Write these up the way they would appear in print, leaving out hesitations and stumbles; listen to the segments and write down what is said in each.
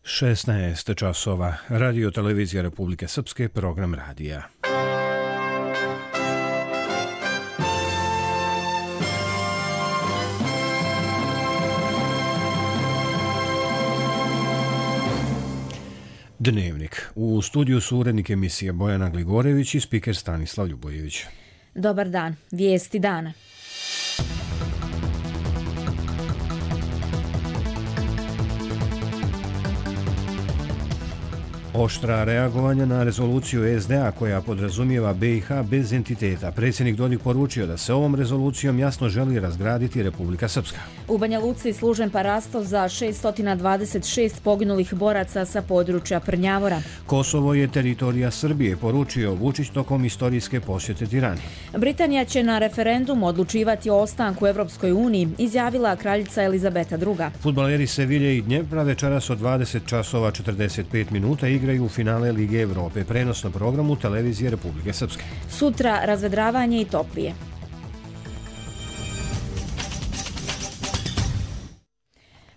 16 časova. Radio Televizija Republike Srpske, program radija. Dnevnik. U studiju su urednik emisije Bojana Gligorević i spiker Stanislav Ljubojević. Dobar dan. Vijesti dana. Oštra reagovanja na rezoluciju SDA koja podrazumijeva BiH bez entiteta. Predsjednik Dodik poručio da se ovom rezolucijom jasno želi razgraditi Republika Srpska. U Banja Luci služen parasto za 626 poginulih boraca sa područja Prnjavora. Kosovo je teritorija Srbije, poručio Vučić tokom istorijske posjete Tirani. Britanija će na referendumu odlučivati o ostanku u Evropskoj uniji, izjavila kraljica Elizabeta II. Fudbaleri Sevilje i Dnjepra večeras od 20 časova 45 minuta igraju u finale Lige Evrope, prenos na programu Televizije Republike Srpske. Sutra razvedravanje i toplije.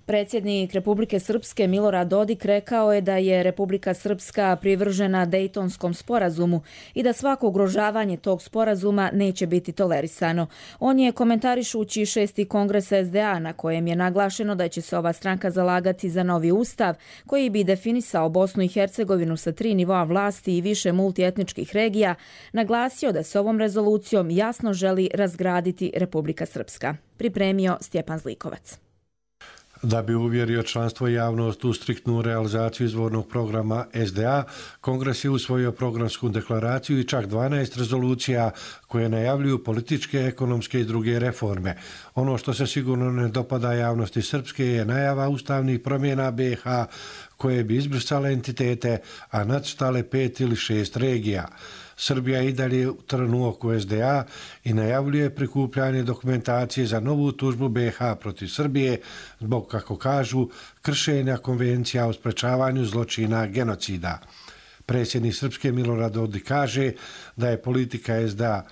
Predsjednik Republike Srpske Milorad Dodik rekao je da je Republika Srpska privržena Dejtonskom sporazumu i da svako ugrožavanje tog sporazuma neće biti tolerisano. On je komentarišući 6. kongres SDA na kojem je naglašeno da će se ova stranka zalagati za novi ustav koji bi definisao Bosnu i Hercegovinu sa 3 nivoa vlasti i više multietničkih regija, naglasio da se ovom rezolucijom jasno želi razgraditi Republika Srpska. Pripremio Stjepan Zlikovac. Da bi uvjerio članstvo i javnost u striktnu realizaciju izvornog programa SDA, Kongres je usvojio programsku deklaraciju i čak 12 rezolucija koje najavljuju političke, ekonomske i druge reforme. Ono što se sigurno ne dopada javnosti srpske je najava ustavnih promjena BiH koje bi izbrisale entitete, a nacrtale 5 ili 6 regija. Srbija i dalje trn u oku SDA i najavljuje prikupljanje dokumentacije za novu tužbu BiH protiv Srbije zbog, kako kažu, kršenja konvencija o sprečavanju zločina genocida. Predsjednik Srpske Milorad Dodik kaže da je politika SDA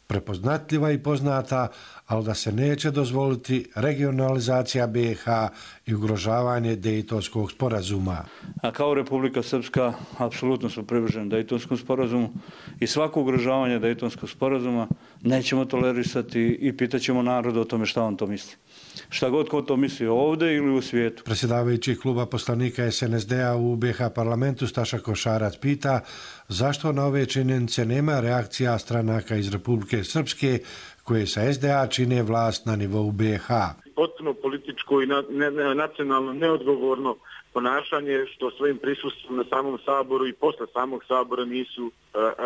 prepoznatljiva i poznata, ali da se neće dozvoliti regionalizacija BiH i ugrožavanje Dejtonskog sporazuma. A kao Republika Srpska apsolutno smo privrženi Dejtonskom sporazumu i svako ugrožavanje Dejtonskog sporazuma nećemo tolerisati i pitaćemo narod o tome šta on to misli. Šta god ko to misli ovdje ili u svijetu. Predsjedavajući kluba poslanika SNSD-a u BiH parlamentu Staša Košarac pita zašto na ove činjenice nema reakcija stranaka iz Republike Srpske koje sa SDA čine vlast na nivou BiH. Potpuno političko i nacionalno neodgovorno ponašanje što svojim prisustvom na samom Saboru i posle samog Sabora nisu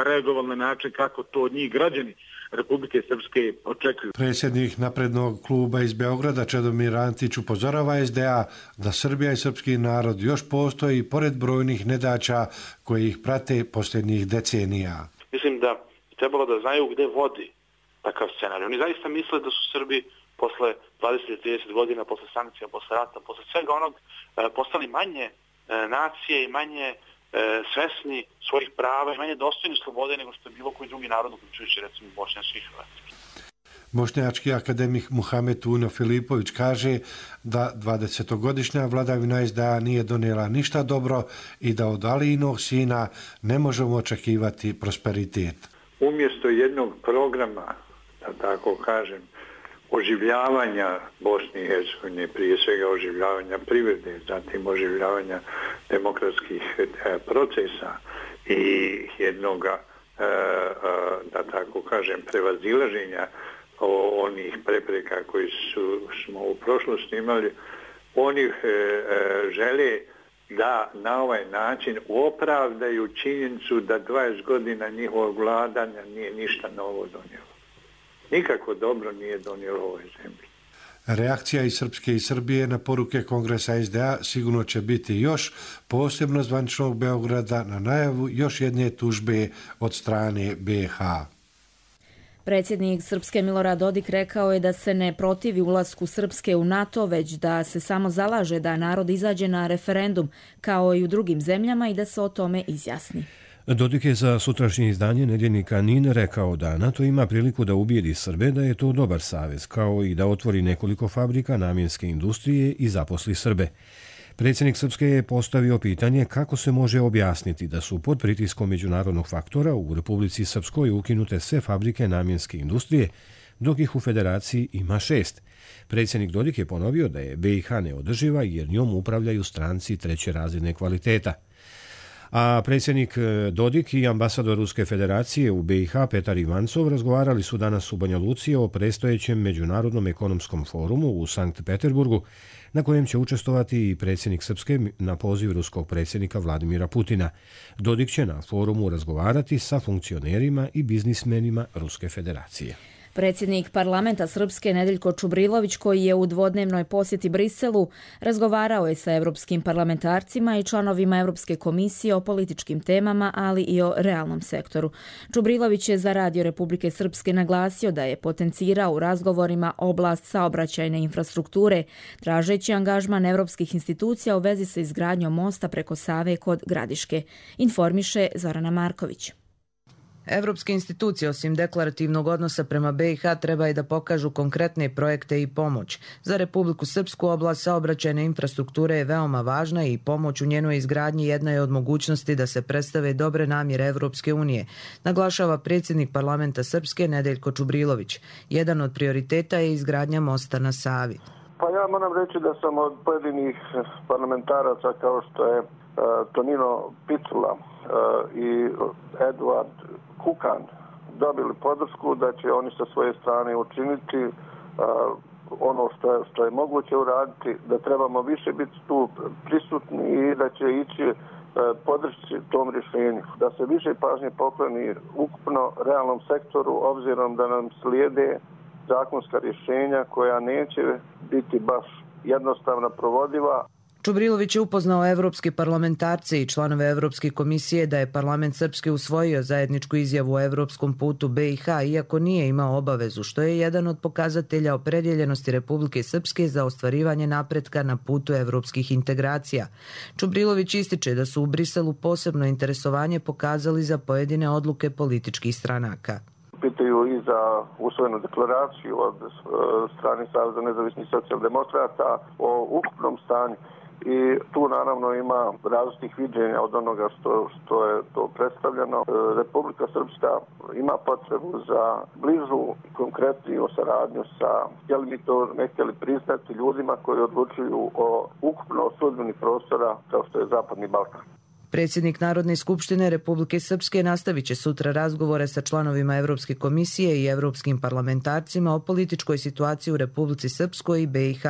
reagovali na način kako to od njih građani Republike Srpske očekuju. Predsjednik naprednog kluba iz Beograda Čedomir Antić upozorava SDA da Srbija i srpski narod još postoji pored brojnih nedaća koje ih prate posljednjih decenija. Mislim da trebalo da znaju gde vodi takav scenarij. Oni zaista misle da su Srbi posle 20-30 godina, posle sankcija, posle rata, posle svega onog postali manje nacije i manje svesni svojih prava i manje dostojni slobode nego što je bilo koji drugi narod, uključujući recimo bošnjački i hrvatski. Bošnjački akademik Muhamed Uno Filipović kaže da 20-godišnja vladavina SDA nije donijela ništa dobro i da od Alijinog sina ne možemo očekivati prosperitet. Umjesto jednog programa, da tako kažem, oživljavanja Bosne i Hercegovine, prije svega oživljavanja privrede, zatim oživljavanja demokratskih procesa i jednog, da tako kažem, prevazilaženja onih prepreka koji smo u prošlosti imali, oni žele da na ovaj način opravdaju činjenicu da 20 godina njihovog vladanja nije ništa novo donijelo. Nikako dobro nije donijelo ovoj zemlji. Reakcija iz Srpske i Srbije na poruke Kongresa SDA sigurno će biti još, posebno zvaničnog Beograda, na najavu još jedne tužbe od strane BiH. Predsjednik Srpske Milorad Dodik rekao je da se ne protivi ulasku Srpske u NATO, već da se samo zalaže da narod izađe na referendum, kao i u drugim zemljama, i da se o tome izjasni. Dodik je za sutrašnje izdanje nedjeljnika NIN rekao da NATO ima priliku da ubijedi Srbe, da je to dobar savez, kao i da otvori nekoliko fabrika namjenske industrije i zaposli Srbe. Predsjednik Srpske je postavio pitanje kako se može objasniti da su pod pritiskom međunarodnog faktora u Republici Srpskoj ukinute sve fabrike namjenske industrije, dok ih u federaciji ima 6. Predsjednik Dodik je ponovio da je BiH neodrživa jer njom upravljaju stranci treće razine kvaliteta. A predsjednik Dodik i ambasador Ruske federacije u BiH Petar Ivancov razgovarali su danas u Banja Luci o predstojećem Međunarodnom ekonomskom forumu u Sankt Peterburgu, na kojem će učestvovati i predsjednik Srpske na poziv ruskog predsjednika Vladimira Putina. Dodik će na forumu razgovarati sa funkcionerima i biznismenima Ruske federacije. Predsjednik parlamenta Srpske Nedeljko Čubrilović, koji je u dvodnevnoj posjeti Briselu, razgovarao je sa europskim parlamentarcima i članovima Europske komisije o političkim temama, ali i o realnom sektoru. Čubrilović je za Radio Republike Srpske naglasio da je potencirao u razgovorima oblast saobraćajne infrastrukture, tražeći angažman europskih institucija u vezi sa izgradnjom mosta preko Save kod Gradiške. Informiše Zorana Marković. Evropske institucije osim deklarativnog odnosa prema BiH treba i da pokažu konkretne projekte i pomoć. Za Republiku Srpsku oblast saobraćajne infrastrukture je veoma važna i pomoć u njenoj izgradnji jedna je od mogućnosti da se predstave dobre namjere Evropske unije, naglašava predsjednik parlamenta Srpske Nedeljko Čubrilović. Jedan od prioriteta je izgradnja mosta na Savi. Pa ja moram reći da sam od pojedinih parlamentaraca kao što je Tonino Picula i Eduard Kukan dobili podršku da će oni sa svoje strane učiniti ono što je moguće uraditi, da trebamo više biti tu prisutni i da će ići podršci tom rješenju. Da se više pažnje pokloni ukupno realnom sektoru, obzirom da nam slijede zakonska rješenja koja neće biti baš jednostavno provodiva. Čubrilović je upoznao evropske parlamentarce i članove Evropske komisije da je parlament Srpske usvojio zajedničku izjavu o evropskom putu BiH, iako nije imao obavezu, što je jedan od pokazatelja opredjeljenosti Republike Srpske za ostvarivanje napretka na putu evropskih integracija. Čubrilović ističe da su u Briselu posebno interesovanje pokazali za pojedine odluke političkih stranaka. Pitaju i za usvojenu deklaraciju od strane Saveza nezavisnih socijaldemokrata o ukupnom stanju. I tu naravno ima različitih viđenja od onoga što je to predstavljeno. Republika Srpska ima potrebu za bližu konkretniju saradnju sa, htjeli mi to ne htjeli priznati, ljudima koji odlučuju o ukupno sudbini prostora kao što je Zapadni Balkan. Predsjednik Narodne skupštine Republike Srpske nastavit će sutra razgovore sa članovima Evropske komisije i evropskim parlamentarcima o političkoj situaciji u Republici Srpskoj i BiH.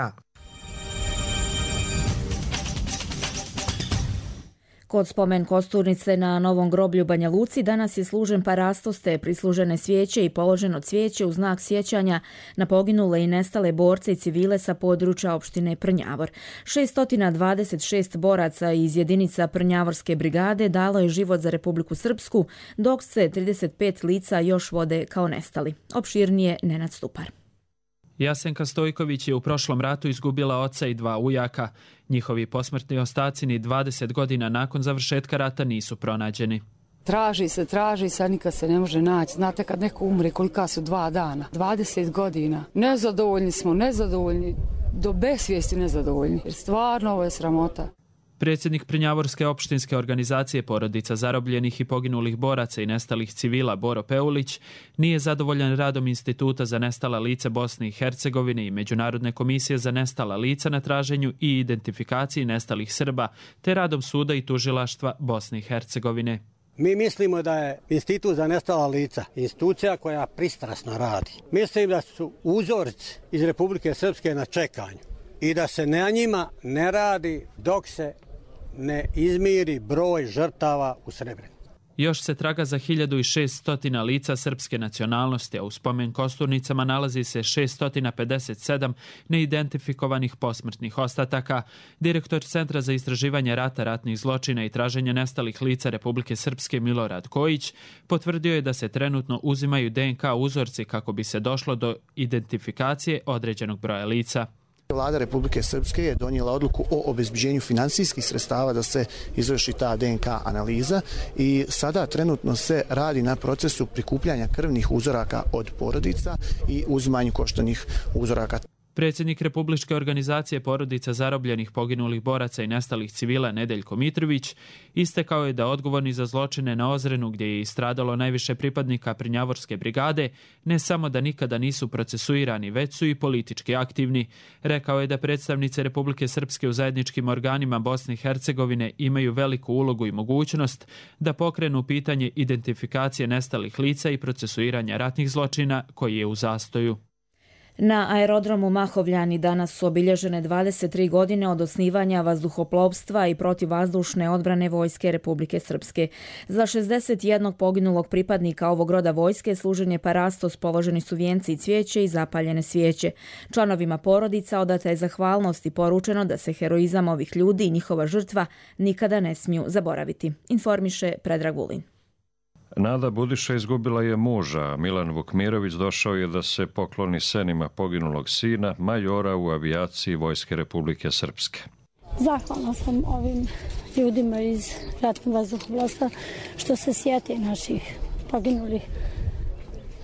Kod spomen kosturnice na Novom groblju Banja Luci danas je služen parastoste, prislužene svijeće i položeno cvijeće u znak sjećanja na poginule i nestale borce i civile sa područja opštine Prnjavor. 626 boraca iz jedinica Prnjavorske brigade dalo je život za Republiku Srpsku, dok se 35 lica još vode kao nestali. Opširnije Nenad Stupar. Jasenka Stojković je u prošlom ratu izgubila oca i 2 ujaka. Njihovi posmrtni ostaci ni 20 godina nakon završetka rata nisu pronađeni. Traži se, a nikad se ne može naći. Znate kad neko umre, kolika su 2 dana? 20 godina. Nezadovoljni, do besvijesti nezadovoljni. Jer stvarno ovo je sramota. Predsjednik Prnjavorske opštinske organizacije porodica zarobljenih i poginulih boraca i nestalih civila Boro Peulić nije zadovoljan radom Instituta za nestala lica Bosne i Hercegovine i Međunarodne komisije za nestala lica na traženju i identifikaciji nestalih Srba, te radom suda i tužilaštva Bosne i Hercegovine. Mi mislimo da je Institut za nestala lica institucija koja pristrasno radi. Mislim da su uzorci iz Republike Srpske na čekanju i da se na njima ne radi dok se ne izmiri broj žrtava u Srebrenici. Još se traga za 1600 lica srpske nacionalnosti, a u spomen kosturnicama nalazi se 657 neidentifikovanih posmrtnih ostataka. Direktor Centra za istraživanje rata, ratnih zločina i traženje nestalih lica Republike Srpske Milorad Kojić potvrdio je da se trenutno uzimaju DNK uzorci kako bi se došlo do identifikacije određenog broja lica. Vlada Republike Srpske je donijela odluku o obezbeđenju finansijskih sredstava da se izvrši ta DNK analiza i sada trenutno se radi na procesu prikupljanja krvnih uzoraka od porodica i uzimanju koštanih uzoraka. Predsjednik Republičke organizacije porodica zarobljenih, poginulih boraca i nestalih civila Nedeljko Mitrović istekao je da odgovorni za zločine na Ozrenu, gdje je istradalo najviše pripadnika Prnjavorske brigade, ne samo da nikada nisu procesuirani, već su i politički aktivni. Rekao je da predstavnice Republike Srpske u zajedničkim organima Bosne i Hercegovine imaju veliku ulogu i mogućnost da pokrenu pitanje identifikacije nestalih lica i procesuiranja ratnih zločina koji je u zastoju. Na aerodromu Mahovljani danas su obilježene 23 godine od osnivanja vazduhoplovstva i protivvazdušne odbrane Vojske Republike Srpske. Za 61 poginulog pripadnika ovog roda vojske služen je parastos, položeni su vijenci i cvijeće i zapaljene svijeće. Članovima porodica odata je zahvalnost i poručeno da se heroizam ovih ljudi i njihova žrtva nikada ne smiju zaboraviti, informiše Predrag Vulin. Nada Budiša izgubila je muža, Milan Vukmirović došao je da se pokloni senima poginulog sina, majora u avijaciji Vojske Republike Srpske. Zahvalna sam ovim ljudima iz ratnog vazduhoplovstva što se sjeti naših poginulih.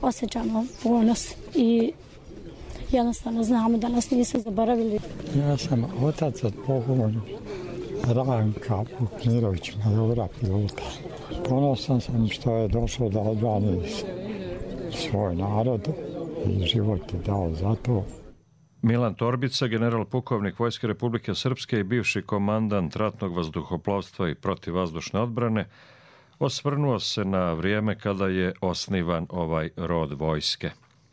Osjećamo ponos i jednostavno znamo da nas nisu zaboravili. Ja sam otac od pokojnog Ranka Vukmirović, majora pilota. Ponosan sam što je došao da odbrani svoj narod i život je dao za to. Milan Torbica, general pukovnik Vojske Republike Srpske i bivši komandant ratnog vazduhoplovstva i protivvazdušne odbrane, osvrnuo se na vrijeme kada je osnivan ovaj rod vojske.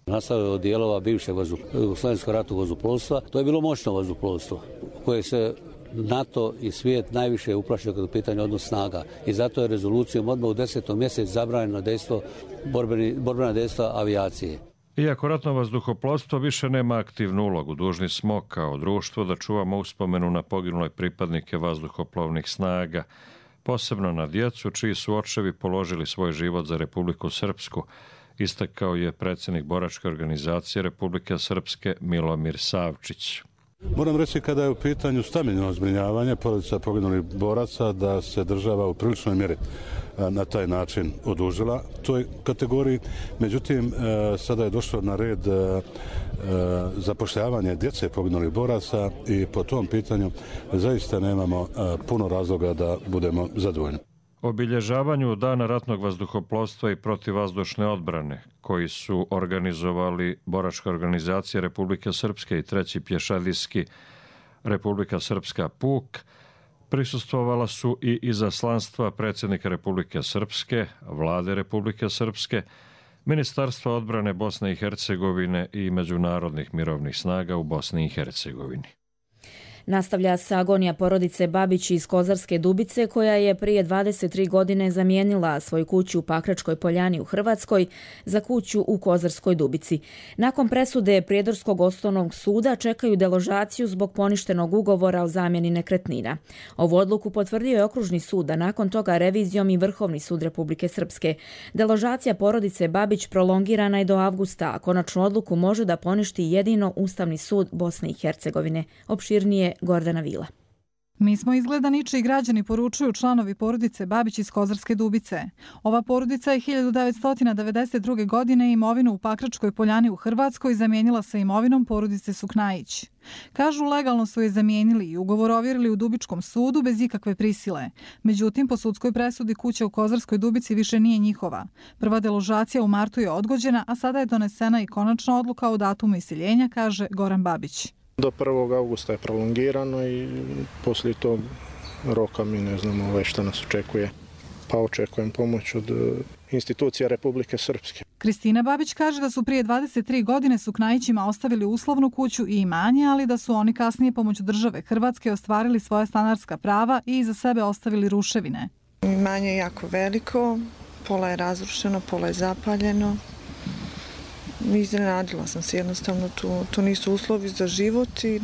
Nastavio od dijelova bivšeg Jugoslovenskog ratnog vazduhoplovstva. To je bilo moćno vazduhoplovstvo koje se NATO i svijet najviše uplašio kada je u pitanju odnos snaga. I zato je rezolucijom odmah u 10. mjesec zabranjeno dejstvo, borbena dejstva avijacije. Iako ratno vazduhoplovstvo više nema aktivnu ulogu, dužni smo kao društvo da čuvamo uspomenu na poginule pripadnike vazduhoplovnih snaga, posebno na djecu čiji su očevi položili svoj život za Republiku Srpsku, istakao je predsjednik boračke organizacije Republike Srpske Milomir Savčić. Moram reći kada je u pitanju stambeno zbrinjavanje porodica poginulih boraca da se država u priličnoj mjeri na taj način odužila toj kategoriji. Međutim, sada je došlo na red zapošljavanje djece poginulih boraca i po tom pitanju zaista nemamo puno razloga da budemo zadovoljni. Obilježavanju Dana ratnog vazduhoplovstva i protivvazdušne odbrane, koji su organizovali Boračka organizacija Republike Srpske i 3. pješadijski Republika Srpska PUK, prisustvovala su i izaslanstva predsjednika Republike Srpske, Vlade Republike Srpske, Ministarstva odbrane Bosne i Hercegovine i međunarodnih mirovnih snaga u Bosni i Hercegovini. Nastavlja se agonija porodice Babić iz Kozarske Dubice, koja je prije 23 godine zamijenila svoju kuću u Pakračkoj Poljani u Hrvatskoj za kuću u Kozarskoj Dubici. Nakon presude Prijedorskog osnovnog suda čekaju deložaciju zbog poništenog ugovora o zamjeni nekretnina. Ovu odluku potvrdio je Okružni sud, a nakon toga revizijom i Vrhovni sud Republike Srpske. Deložacija porodice Babić prolongirana je do avgusta, a konačnu odluku može da poništi jedino Ustavni sud Bosne i Hercegovine. Opširnije Gordana Vila. Mi smo izgleda ničiji građani, poručuju članovi porodice Babić iz Kozarske Dubice. Ova porodica je 1992. godine imovinu u Pakračkoj Poljani u Hrvatskoj zamijenila sa imovinom porodice Suknajić. Kažu, legalno su je zamijenili i ugovor ovjerili u Dubičkom sudu bez ikakve prisile. Međutim, po sudskoj presudi kuća u Kozarskoj Dubici više nije njihova. Prva deložacija u martu je odgođena, a sada je donesena i konačna odluka o datumu iseljenja, kaže Goran Babić. Do 1. augusta je prolongirano i poslije tog roka mi ne znamo šta nas očekuje. Pa očekujem pomoć od institucija Republike Srpske. Kristina Babić kaže da su prije 23 godine Suknajićima ostavili uslovnu kuću i imanje, ali da su oni kasnije pomoću države Hrvatske ostvarili svoja stanarska prava i iza sebe ostavili ruševine. Imanje je jako veliko, pola je razrušeno, pola je zapaljeno. Iznenadila sam se, jednostavno tu nisu uslovi za život i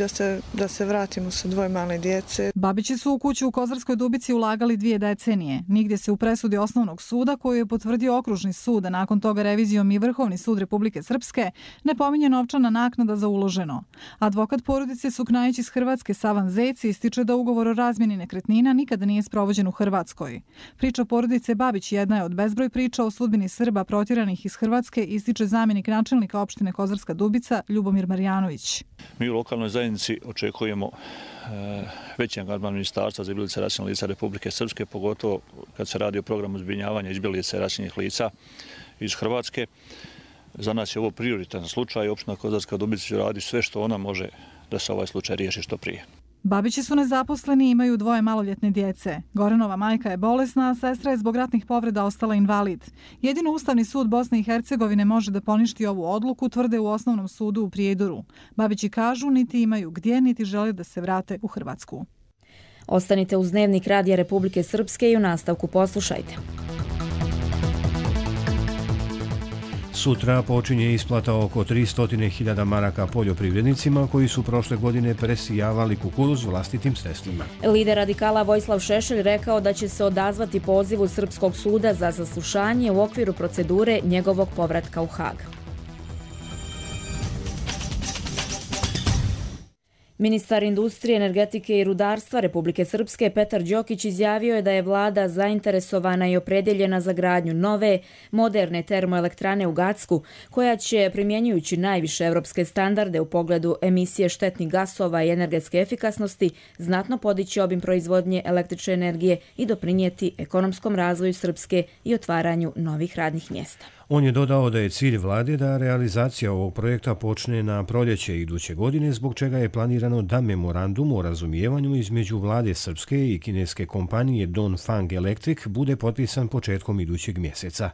da se vratimo sa 2 male djece. Babići su u kuću u Kozarskoj Dubici ulagali 2 decenije. Nigdje se u presudi osnovnog suda, koju je potvrdio Okružni sud, a nakon toga revizijom i Vrhovni sud Republike Srpske, ne pominje novčana naknada za uloženo. Advokat porodice Suknajić iz Hrvatske Savan Zec ističe da ugovor o razmjeni nekretnina nikada nije sprovođen u Hrvatskoj. Priča porodice Babić jedna je od bezbroj priča o sudbini Srba protjeranih iz Hrvatske, ističe zamjenik načelnika gradonačelnika opštine Kozarska Dubica Ljubomir Marjanović. Mi u lokalnoj zajednici očekujemo veći angažman ministarstva za izbjeglice i raseljenih lica Republike Srpske, pogotovo kad se radi o programu zbrinjavanja izbjeglica i raseljenih lica iz Hrvatske. Za nas je ovo prioritetan slučaj. Opština Kozarska Dubica će raditi sve što ona može da se ovaj slučaj riješi što prije. Babići su nezaposleni i imaju 2 maloljetne djece. Goranova majka je bolesna, a sestra je zbog ratnih povreda ostala invalid. Jedino Ustavni sud Bosne i Hercegovine može da poništi ovu odluku, tvrde u Osnovnom sudu u Prijedoru. Babići kažu niti imaju gdje, niti žele da se vrate u Hrvatsku. Ostanite uz Dnevnik Radija Republike Srpske i u nastavku poslušajte. Sutra počinje isplata oko 300.000 maraka poljoprivrednicima koji su prošle godine presijavali kukuruz vlastitim sredstvima. Lider radikala Vojislav Šešelj rekao da će se odazvati pozivu Srpskog suda za saslušanje u okviru procedure njegovog povratka u Hag. Ministar industrije, energetike i rudarstva Republike Srpske Petar Đokić izjavio je da je vlada zainteresovana i opredjeljena za gradnju nove, moderne termoelektrane u Gacku, koja će, primjenjujući najviše evropske standarde u pogledu emisije štetnih gasova i energetske efikasnosti, znatno podići obim proizvodnje električne energije i doprinijeti ekonomskom razvoju Srpske i otvaranju novih radnih mjesta. On je dodao da je cilj vlade da realizacija ovog projekta počne na proljeće iduće godine, zbog čega je planirano da memorandum o razumijevanju između vlade Srpske i kineske kompanije Dongfang Electric bude potpisan početkom idućeg mjeseca.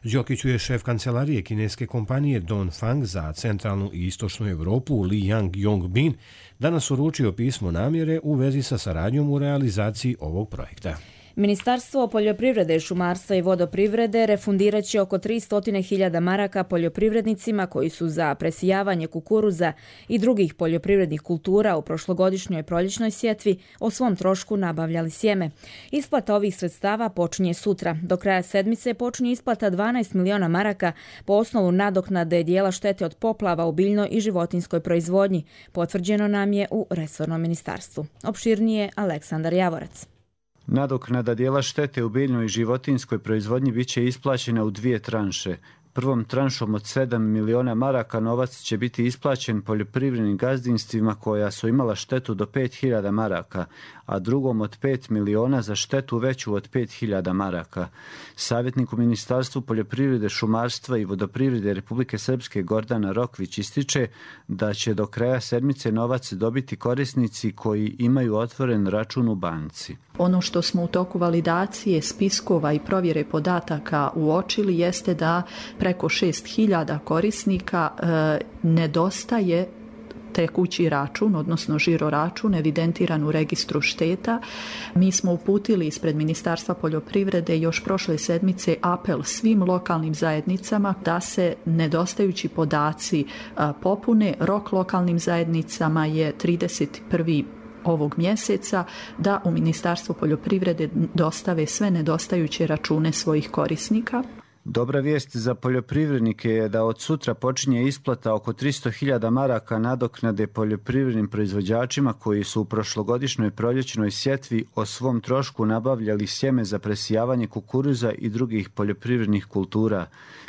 Đokiću je šef kancelarije kineske kompanije Dongfang za centralnu i istočnu Europu Li Yang-Yongbin danas uručio pismo namjere u vezi sa saradnjom u realizaciji ovog projekta. Ministarstvo poljoprivrede, šumarstva i vodoprivrede refundirat će oko 300.000 maraka poljoprivrednicima koji su za presijavanje kukuruza i drugih poljoprivrednih kultura u prošlogodišnjoj proljećnoj sjetvi o svom trošku nabavljali sjeme. Isplata ovih sredstava počinje sutra. Do kraja sedmice počinje isplata 12 miliona maraka po osnovu nadoknade dijela štete od poplava u biljnoj i životinskoj proizvodnji. Potvrđeno nam je u resornom ministarstvu. Opširnije Aleksandar Javorac. Nadoknada dijela štete u biljnoj i životinskoj proizvodnji bit će isplaćena u 2 tranše. Prvom tranšom od 7 miliona maraka novac će biti isplaćen poljoprivrednim gazdinstvima koja su imala štetu do 5.000 maraka, a drugom od 5 miliona za štetu veću od 5.000 maraka. Savjetnik u Ministarstvu poljoprivrede, šumarstva i vodoprivrede Republike Srpske Gordana Rokvić ističe da će do kraja sedmice novac dobiti korisnici koji imaju otvoren račun u banci. Ono što smo u toku validacije spiskova i provjere podataka uočili jeste da preko 6.000 korisnika nedostaje tekući račun, odnosno žiro račun evidentiran u registru šteta. Mi smo uputili ispred Ministarstva poljoprivrede još prošle sedmice apel svim lokalnim zajednicama da se nedostajući podaci popune. Rok lokalnim zajednicama je 31. ovog mjeseca da u Ministarstvo poljoprivrede dostave sve nedostajuće račune svojih korisnika. Dobra vijest za poljoprivrednike je da od sutra počinje isplata oko 300.000 maraka nadoknade poljoprivrednim proizvođačima koji su u prošlogodišnjoj proljećnoj sjetvi o svom trošku nabavljali sjeme za presijavanje kukuruza i drugih poljoprivrednih kultura.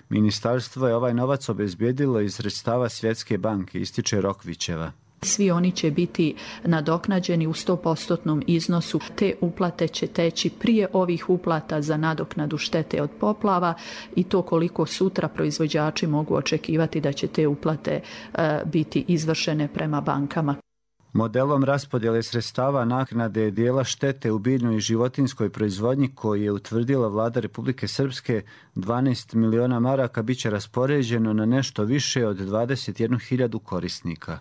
Ministarstvo je ovaj novac obezbijedilo iz sredstava Svjetske banke, ističe Rokvićeva. Svi oni će biti nadoknađeni u 100% iznosu. Te uplate će teći prije ovih uplata za nadoknadu štete od poplava i to koliko sutra proizvođači mogu očekivati da će te uplate biti izvršene prema bankama. Modelom raspodjele sredstava naknade dijela štete u biljnoj i životinskoj proizvodnji koji je utvrdila vlada Republike Srpske, 12 miliona maraka biće raspoređeno na nešto više od 21.000 korisnika.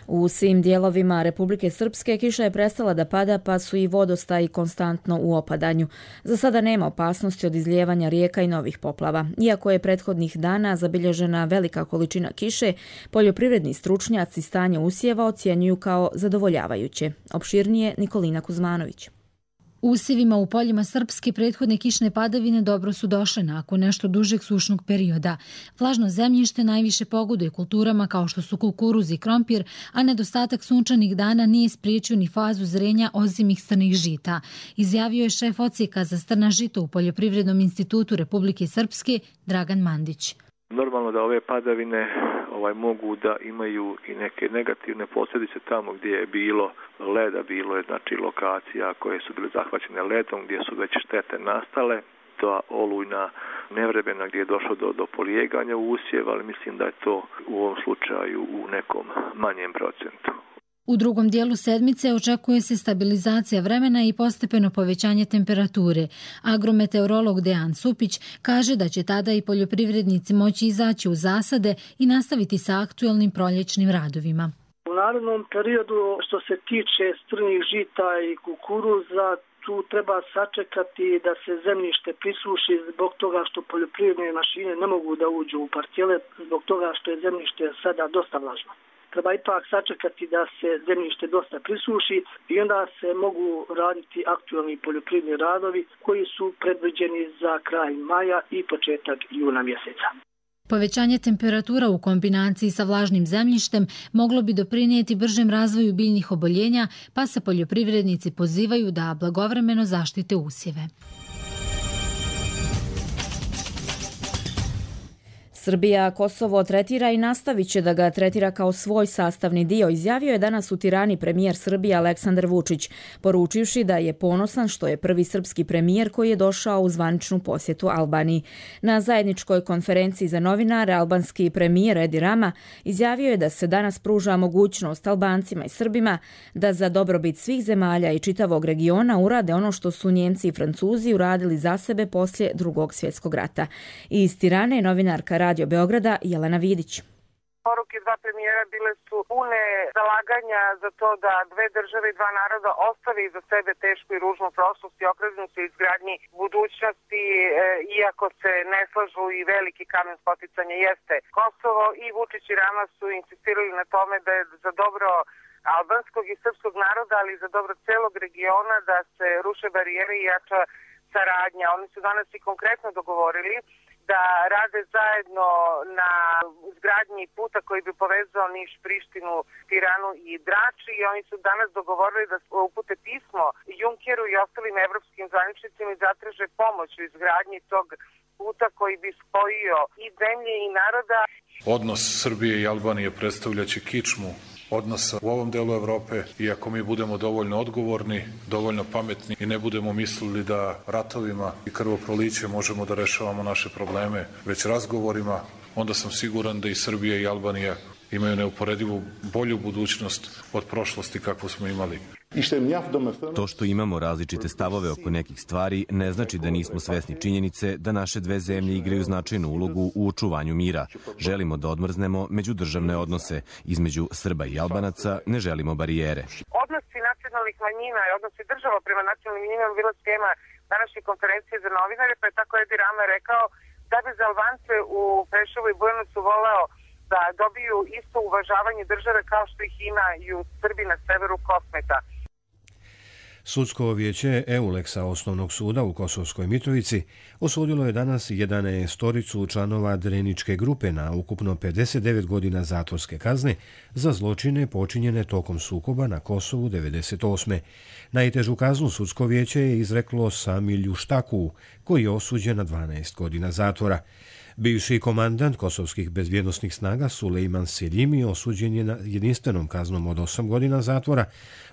U svim dijelovima Republike Srpske kiša je prestala da pada, pa su i vodostaji konstantno u opadanju. Za sada nema opasnosti od izlijevanja rijeka i novih poplava. Iako je prethodnih dana zabilježena velika količina kiše, poljoprivredni stručnjaci stanje usjeva ocjenjuju kao zadovoljavajuće. Opširnije Nikolina Kuzmanović. Usjevima u poljima Srpske prethodne kišne padavine dobro su došle nakon nešto dužeg sušnog perioda. Vlažno zemljište najviše pogoduje kulturama kao što su kukuruz i krompir, a nedostatak sunčanih dana nije spriječio ni fazu zrenja ozimih strnih žita, izjavio je šef odsjeka za strna žito u Poljoprivrednom institutu Republike Srpske Dragan Mandić. Normalno da ove padavine mogu da imaju i neke negativne posljedice tamo gdje je bilo leda, bilo je znači lokacija koje su bile zahvaćene ledom, gdje su već štete nastale, ta olujna nevremena gdje je došlo do polijeganja usjeva, ali mislim da je to u ovom slučaju u nekom manjem procentu. U drugom dijelu sedmice očekuje se stabilizacija vremena i postepeno povećanje temperature. Agrometeorolog Dejan Supić kaže da će tada i poljoprivrednici moći izaći u zasade i nastaviti sa aktuelnim proljećnim radovima. U narednom periodu što se tiče strnih žita i kukuruza, tu treba sačekati da se zemljište prisuši zbog toga što poljoprivredne mašine ne mogu da uđu u parcele, zbog toga što je zemljište sada dosta vlažno. Treba ipak sačekati da se zemljište dosta prisuši i onda se mogu raditi aktualni poljoprivredni radovi koji su predviđeni za kraj maja i početak juna mjeseca. Povećanje temperatura u kombinaciji sa vlažnim zemljištem moglo bi doprinijeti bržem razvoju biljnih oboljenja, pa se poljoprivrednici pozivaju da blagovremeno zaštite usjeve. Srbija Kosovo tretira i nastavit će da ga tretira kao svoj sastavni dio, izjavio je danas u Tirani premijer Srbije Aleksandar Vučić, poručivši da je ponosan što je prvi srpski premijer koji je došao u zvaničnu posjetu Albaniji. Na zajedničkoj konferenciji za novinare albanski premijer Edi Rama izjavio je da se danas pruža mogućnost Albancima i Srbima da za dobrobit svih zemalja i čitavog regiona urade ono što su Njemci i Francuzi uradili za sebe poslije Drugog svjetskog rata. Iz Tirane je novinarka Radio Beograda Jelena Vidić. Poruke dva premijera bile su pune zalaganja za to da dve države i dva naroda ostave iza sebe tešku i ružnu prošlost i okrenu se izgradnji budućnosti, iako se ne slažu i veliki kamen spoticanja jeste Kosovo, i Vučić i Rama su insistirali na tome da je za dobro albanskog i srpskog naroda, ali i za dobro celog regiona da se ruše barijere i jača saradnja. Oni su danas i konkretno dogovorili da rade zajedno na izgradnji puta koji bi povezao Niš, Prištinu, Tiranu i Drač, i oni su danas dogovorili da upute pismo Junkeru i ostalim evropskim zvaničnicima i zatraže pomoć u izgradnji tog puta koji bi spojio i zemlje i naroda. Odnos Srbije i Albanije predstavljaće kičmu odnosa u ovom delu Evrope, i ako mi budemo dovoljno odgovorni, dovoljno pametni i ne budemo mislili da ratovima i krvoproliće možemo da rešavamo naše probleme već razgovorima, onda sam siguran da i Srbija i Albanija imaju neuporedivu bolju budućnost od prošlosti kakvu smo imali. To što imamo različite stavove oko nekih stvari ne znači da nismo svesni činjenice da naše dve zemlje igraju značajnu ulogu u očuvanju mira. Želimo da odmrznemo međudržavne odnose između Srba i Albanaca, ne želimo barijere. Odnosi nacionalnih manjina i odnosi država prema nacionalnim manjinama bila tema današnje konferencije za novinare, pa je tako Edi Rama rekao da bi za Albance u Preševu i Bujanovcu voleo da dobiju isto uvažavanje države kao što ih imaju Srbi na severu Kosmeta. Sudsko vijeće EULEX-a Osnovnog suda u Kosovskoj Mitrovici osudilo je danas 11 članova Dreničke grupe na ukupno 59 godina zatvorske kazne za zločine počinjene tokom sukoba na Kosovu 1998. Najtežu kaznu sudsko vijeće je izreklo Samilju Štaku, koji je osuđen na 12 godina zatvora. Bivši komandant kosovskih bezbjednosnih snaga Sulejman Seljimi osuđen je na jedinstvenom kaznom od 8 godina zatvora,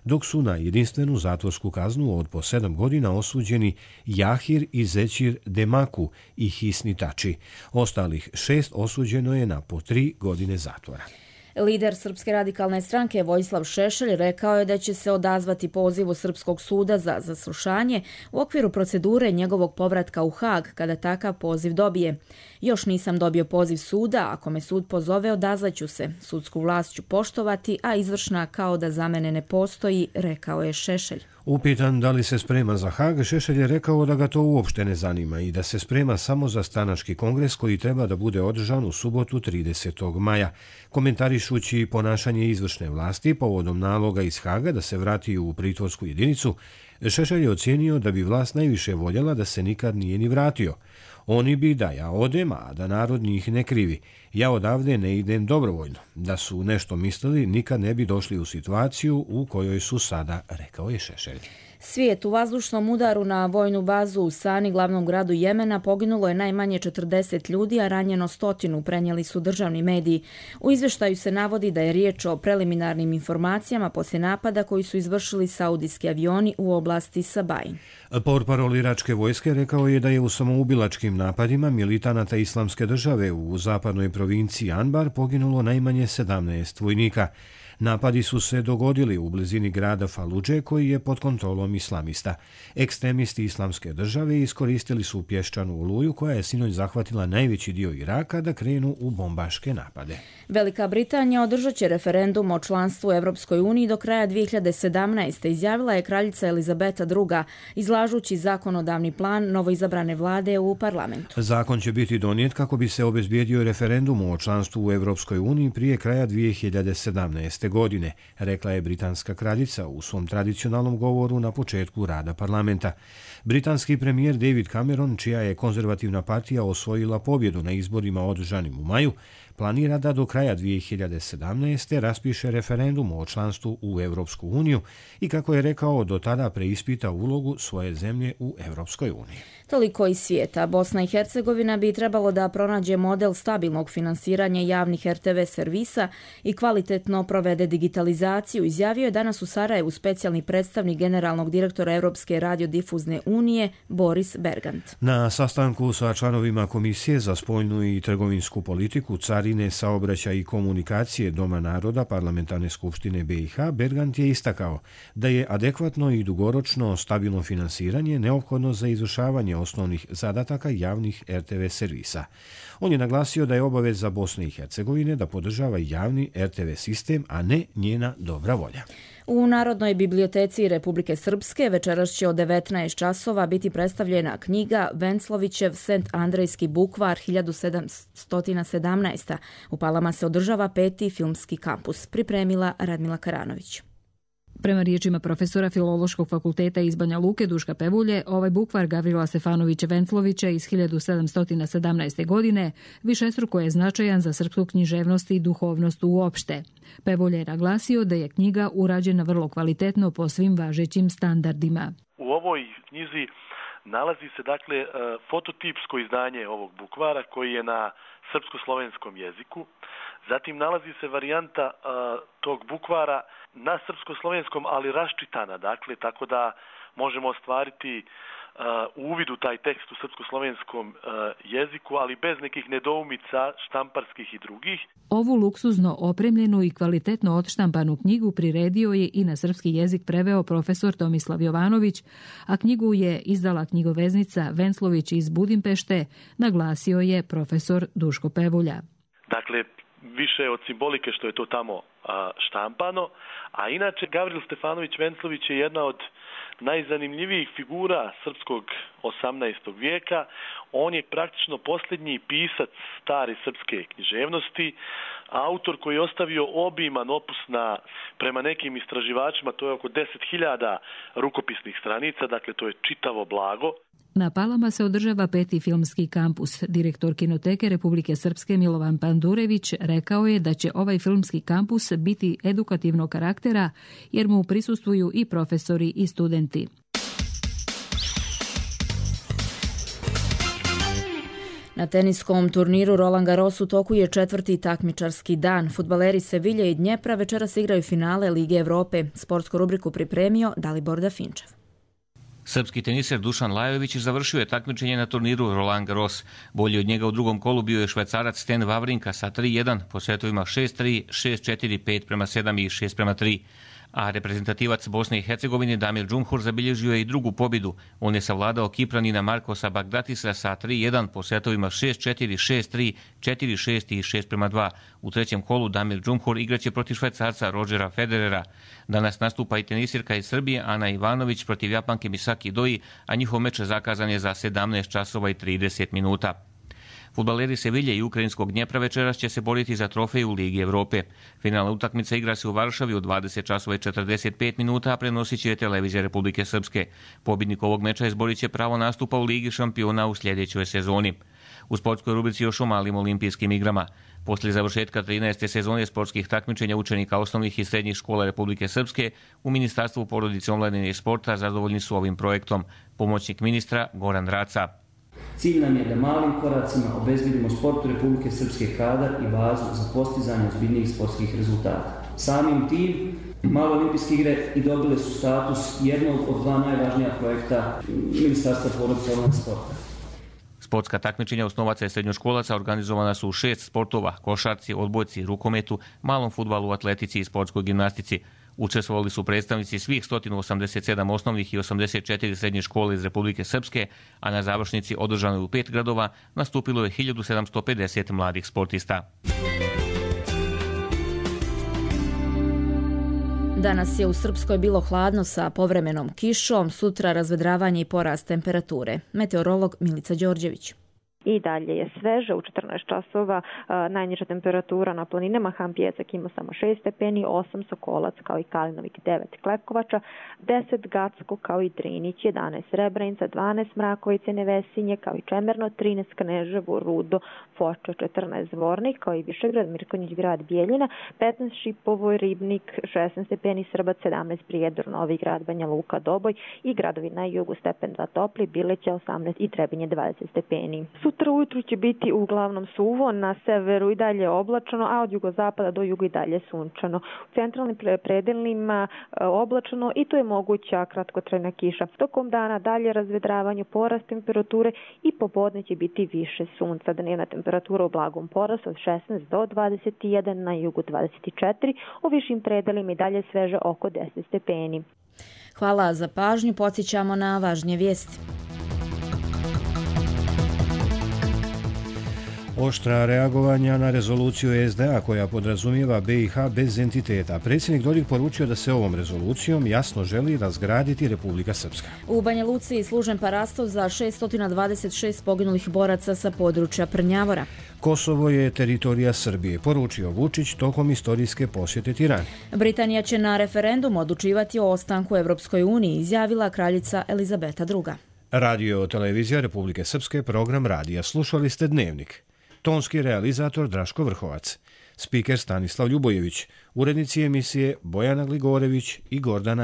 dok su na jedinstvenu zatvorsku kaznu od po 7 godina osuđeni Jahir i Zećir Demaku i Hisni Tači. Ostalih 6 osuđeno je na po 3 godine zatvora. Lider Srpske radikalne stranke Vojislav Šešelj rekao je da će se odazvati pozivu Srpskog suda za zaslušanje u okviru procedure njegovog povratka u Hag kada takav poziv dobije. Još nisam dobio poziv suda, ako me sud pozove odazvaću se. Sudsku vlast ću poštovati, a izvršna kao da za mene ne postoji, rekao je Šešelj. Upitan da li se sprema za Hag, Šešelj je rekao da ga to uopšte ne zanima i da se sprema samo za stranački kongres koji treba da bude održan u subotu 30. maja. Komentarišući ponašanje izvršne vlasti povodom naloga iz Haga da se vrati u pritvorsku jedinicu, Šešelj je ocijenio da bi vlast najviše voljela da se nikad nije ni vratio. Oni bi da ja odem, a da narod njih ne krivi. Ja odavde ne idem dobrovoljno. Da su nešto mislili, nikad ne bi došli u situaciju u kojoj su sada, rekao je Šešelj. Svijet, u vazdušnom udaru na vojnu bazu u Sani, glavnom gradu Jemena, poginulo je najmanje 40 ljudi, a ranjeno 100, prenijeli su državni mediji. U izvještaju se navodi da je riječ o preliminarnim informacijama poslije napada koji su izvršili saudijski avioni u oblasti Sabain. Portparol iračke vojske rekao je da je u samoubilačkim napadima militanata Islamske države u zapadnoj provinciji Anbar poginulo najmanje 17 vojnika. Napadi su se dogodili u blizini grada Faludže koji je pod kontrolom islamista. Ekstremisti Islamske države iskoristili su pješčanu oluju koja je sinoć zahvatila najveći dio Iraka da krenu u bombaške napade. Velika Britanija održat će referendum o članstvu u Europskoj uniji do kraja 2017. izjavila je kraljica Elizabeta II, izlažući zakonodavni plan novoizabrane vlade u parlamentu. Zakon će biti donijet kako bi se obezbijedio referendum o članstvu u Europskoj uniji prije kraja 2017. godine, rekla je britanska kraljica u svom tradicionalnom govoru na početku rada parlamenta. Britanski premijer David Cameron, čija je konzervativna partija osvojila pobjedu na izborima održanim u maju, planira da do kraja 2017. raspiše referendum o članstvu u Europsku uniju i, kako je rekao, do tada preispita ulogu svoje zemlje u Europskoj uniji. Toliko iz svijeta. Bosna i Hercegovina bi trebalo da pronađe model stabilnog finansiranja javnih RTV servisa i kvalitetno provede digitalizaciju, izjavio je danas u Sarajevu specijalni predstavnik generalnog direktora Europske radiodifuzne unije Boris Bergant. Na sastanku sa članovima Komisije za spoljnu i trgovinsku politiku, carine, saobraćaj i komunikacije Doma naroda Parlamentarne skupštine BiH, Bergant je istakao da je adekvatno i dugoročno stabilno finansiranje neophodno za izvršavanje osnovnih zadataka javnih RTV servisa. On je naglasio da je obaveza Bosne i Hercegovine da podržava javni RTV sistem, a ne njena dobra volja. U Narodnoj biblioteci Republike Srpske večeras će od 19 časova biti predstavljena knjiga Venclovićev Sent Andrejski bukvar 1717. U Palama se održava 5. filmski kampus. Pripremila Radmila Karanović. Prema riječima profesora Filološkog fakulteta iz Banja Luke Duška Pevulje, ovaj bukvar Gavrila Stefanovića Venclovića iz 1717. godine višestruko je značajan za srpsku književnost i duhovnost uopšte. Pevulje je naglasio da je knjiga urađena vrlo kvalitetno po svim važećim standardima. U ovoj knjizi nalazi se fototipsko izdanje ovog bukvara koji je na srpsko-slovenskom jeziku. Zatim nalazi se varijanta tog bukvara na srpsko-slovenskom, ali raščitana, tako da možemo ostvariti uvid u taj tekst u srpsko-slovenskom jeziku, ali bez nekih nedoumica štamparskih i drugih. Ovu luksuzno opremljenu i kvalitetno odštampanu knjigu priredio je i na srpski jezik preveo profesor Tomislav Jovanović, a knjigu je izdala knjigoveznica Venclović iz Budimpešte, naglasio je profesor Duško Pevulja. Više od simbolike što je to tamo štampano, a inače Gavril Stefanović Venclović je jedna od najzanimljivijih figura srpskog 18. vijeka. On je praktično posljednji pisac stare srpske književnosti, autor koji je ostavio obiman opus na, prema nekim istraživačima, to je oko 10.000 rukopisnih stranica, to je čitavo blago. Na Palama se održava 5. filmski kampus. Direktor Kinoteke Republike Srpske Milovan Pandurević rekao je da će ovaj filmski kampus biti edukativnog karaktera jer mu prisustvuju i profesori i studenti. Na teniskom turniru Roland Garros u toku je 4. takmičarski dan. Fudbaleri Sevilje i Dnjepra večeras igraju finale Lige Evrope. Sportsku rubriku pripremio Dalibor Dafinčev. Srpski teniser Dušan Lajović završio je takmičenje na turniru Roland Garros. Bolji od njega u drugom kolu bio je Švajcarac Sten Wawrinka sa 3-1 po setovima 6-3, 6-4, 5-7 i 6-3. A reprezentativac Bosne i Hercegovine Damir Džumhur zabilježio je i drugu pobjedu. On je savladao Kipranina Markosa Bagdatisa sa 3-1 po setovima 6-4, 6-3, 4-6 i 6-2. U trećem kolu Damir Džumhur igraće protiv Švajcarca Rodgera Federera. Danas nastupa i tenisirka iz Srbije Ana Ivanović protiv Japanke Misaki Doi, a njihov meč zakazan je za 17 časova i 30 minuta. Fudbaleri Sevilje i ukrajinskog Dnjepra večeras će se boriti za trofej u Ligi Evrope. Finalna utakmica igra se u Varšavi u 20 časova i 45 minuta, a prenosit će televizija Republike Srpske. Pobjednik ovog meča izborit će pravo nastupa u Ligi šampiona u sljedećoj sezoni. U sportskoj rubrici još o malim olimpijskim igrama. Poslije završetka 13. sezone sportskih takmičenja učenika osnovnih i srednjih škola Republike Srpske, u Ministarstvu porodice, omladine i sporta zadovoljni su ovim projektom. Pomoćnik ministra Goran Raca. Cilj nam je da malim koracima obezbedimo sportu Republike Srpske kadar i bazu za postizanje ozbiljnijih sportskih rezultata. Samim tim, Malo olimpijske igre i dobile su status jednog od dva najvažnija projekta Ministarstva porodice, omladine i sporta. Sportska takmičenja osnovaca i srednjoškolaca organizovana su u 6 sportova: košarci, odbojci, rukometu, malom fudbalu, atletici i sportskoj gimnastici. Učestvovali su predstavnici svih 187 osnovnih i 84 srednje škole iz Republike Srpske, a na završnici održanoj u 5 gradova nastupilo je 1750 mladih sportista. Danas je u Srpskoj bilo hladno sa povremenom kišom, sutra razvedravanje i porast temperature. Meteorolog Milica Đorđević. I dalje je sveže, u 14 časova najniža temperatura na planinama Ham Pjesak ima samo 6 stepeni, 8 Sokolac kao i Kalinovik, 9 Klekovača, 10 Gacko kao i Drinić, 11 Srebrenica, 12 Mrakovice, Nevesinje kao i Čemerno, 13 Kneževo, Rudo, Foča, 14 Zvornik kao i Višegrad, Mirkonjić, grad Bijeljina, 15 Šipovo, Ribnik, 16 stepeni, Srbac, 17 Prijedor, Novi Grad, Banja Luka, Doboj i gradovi na jugu stepen 2 topli, Bileća 18 i Trebinje 20 stepeni. Sutra ujutru će biti uglavnom suvo, na severu i dalje oblačno, a od jugozapada do juga i dalje sunčano. U centralnim predelima oblačno i to je moguća kratkotrajna kiša. Tokom dana dalje razvedravanje, porast temperature i popodne će biti više sunca. Dnevna temperatura u blagom porastu od 16 do 21, na jugu 24, u višim predelima i dalje sveže oko 10 stepeni. Hvala za pažnju, podsjećamo na važnije vijesti. Oštra reagovanja na rezoluciju SDA koja podrazumijeva BiH bez entiteta. Predsjednik Dodik poručio da se ovom rezolucijom jasno želi razgraditi Republika Srpska. U Banja Luci služen parastov za 626 poginulih boraca sa područja Prnjavora. Kosovo je teritorija Srbije, poručio Vučić tokom istorijske posjete Tirani. Britanija će na referendumu odlučivati o ostanku u Evropskoj uniji, izjavila kraljica Elizabeta II. Radio televizija Republike Srpske, program radija. Slušali ste Dnevnik. Tonski realizator Draško Vrhovac, spiker Stanislav Ljubojević, urednici emisije Bojana Gligorević i Gordana